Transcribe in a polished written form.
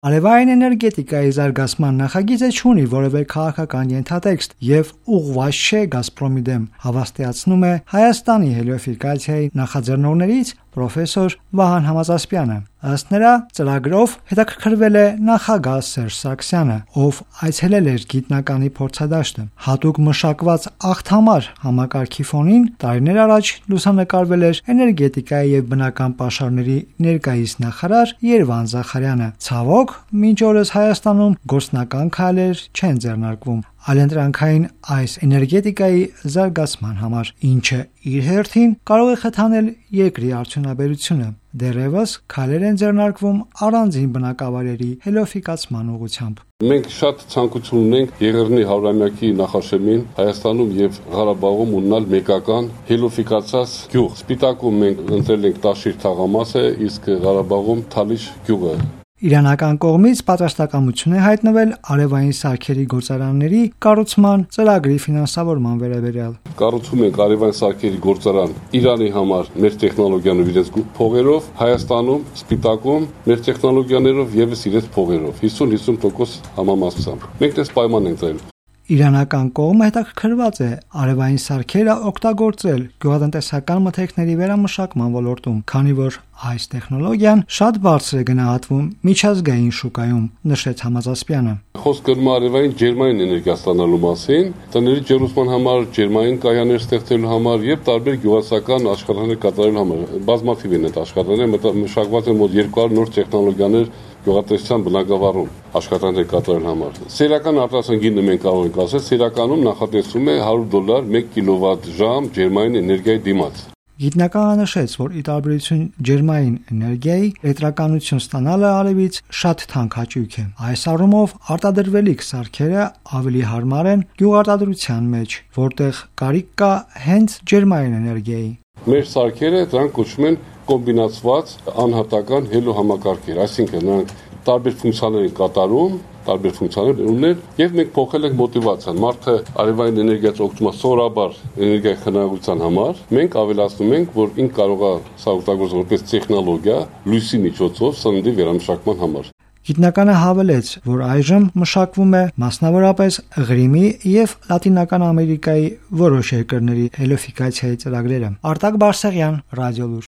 Արևային էներգետիկայի զարգացման նախագիծը չունի որևէ քաղաքական ենթատեքստ եւ ուղղված չէ Գազպրոմի դեմ, հավաստիացնում է Հայաստանի հելիոֆիկացիայի նախաձեռնողներից պրոֆեսոր Վահան Համազասպյանը։ Ըստ նրա, ծրագրով հետաքրքրվել է նախագահ Սերժ Սարգսյանը, ով այցելել էր գիտնականի փորձադաշտը։ Հատուկ մշակված աղթամար համակարգի ֆոնին տարիներ առաջ լուսանկարվել էր էներգետիկայի եւ բնական պաշարների ներկայիս նախարար Երվան Զախարյանը։ Ցավոք, մինչ օրս Հայաստանում գործնական քայլեր չեն ձեռնարկվում այլընտրանքային այս էներգետիկայի զարգացման համար, ինչը իր հերթին կարող է խթանել երկրի արդյունաբերությունը։ Դեռևս քայլեր են ձեռնարկվում առանձին բնակավայրերի հելիոֆիկացման ուղղությամբ։ Մենք շատ ցանկություն ունենք Եղեռնի 100-ամյակի նախաշեմին Հայաստանում եւ Ղարաբաղում ունենալ մեկական հելիոֆիկացած գյուղ։ Սպիտակում մենք ընտրել ենք Տաշիր թաղամասը, իսկ Ղարաբաղում Թալիշ գյուղը։ Իրանական կողմից պատրաստակամություն է հայտնվել արևային սարքերի գործարանների կառուցման ծրագրի ֆինանսավորման վերաբերյալ։ Կառուցում ենք արևային սարքերի գործարան Իրանի համար մեր տեխնոլոգիաներով իրենց փողերով, Հայաստանում, Սպիտակում մեր տեխնոլոգիաներով եւս իրենց փողերով 50-50% համամասությամբ։ Մենք դες պայման ենք դրել։ Իրանական կողմը հետաքրքրված է արևային սարքերը օգտագործել գյուղատնտեսական մթերքների վերամշակման ոլորտում, քանի որ այս տեխնոլոգիան շատ բարձր է գնահատվում միջազգային շուկայում, նշեց Համազասպյանը։ Խոսքը գնում է արևային ջերմային էներգիա ստանալու մասին, տների ջերմության համար, ջերմային կայաններ ստեղծելու համար եւ տարբեր գյուղացական աշխատանքներ կատարելու համար։ Բազմաթիվ են այդ աշխատանքները, մշակված են մոտ 200 նոր տեխնոլոգիաներ գյուղատնտեսության բնագավառում աշխատանքներ կատարելու համար։ Սերիական արտադրության գինը մենք կարող ենք ասել, սերիականում նախատեսվում է $100 1 կիլովատ-ժամ ջերմային էներգիայի դիմաց։ Գիտնականը նշեց, որ ի տարբերություն ջերմային էներգիայի, էլեկտրականություն ստանալը արևից շատ թանկ հաճույք է։ Այս առումով արտադրվելիք սարքերը ավելի հարմար են գյուղարտադրության մեջ, որտեղ կարիք կա հենց ջերմային էներգիայի։ Մեր սարքերը դրանք կոչվում են կոմբինացված անհատական հելիոհամակարգեր, այսինքն նրանք տարբեր ֆունկցիաներ են կատարում, տարբեր ֆունկցիաներ ունեն եւ մենք փոխել ենք մոտիվացիան։ Մարդը արևային էներգիայից օգտվում է սովորաբար էներգիայի խնայողության համար։ Մենք ավելացնում ենք, որ ինքը կարող է սա օգտագործել որպես տեխնոլոգիա լույսի միջոցով սննդի վերամշակման համար։ Գիտնականը հավելեց, որ այժմ մշակվում է մասնավորապես Ղրիմի եւ Լատինական Ամերիկայի որոշ երկրների հելիոֆիկացիայի ծրագրերը։ Արտակ Բարսեղյան, Ռադիոլուր։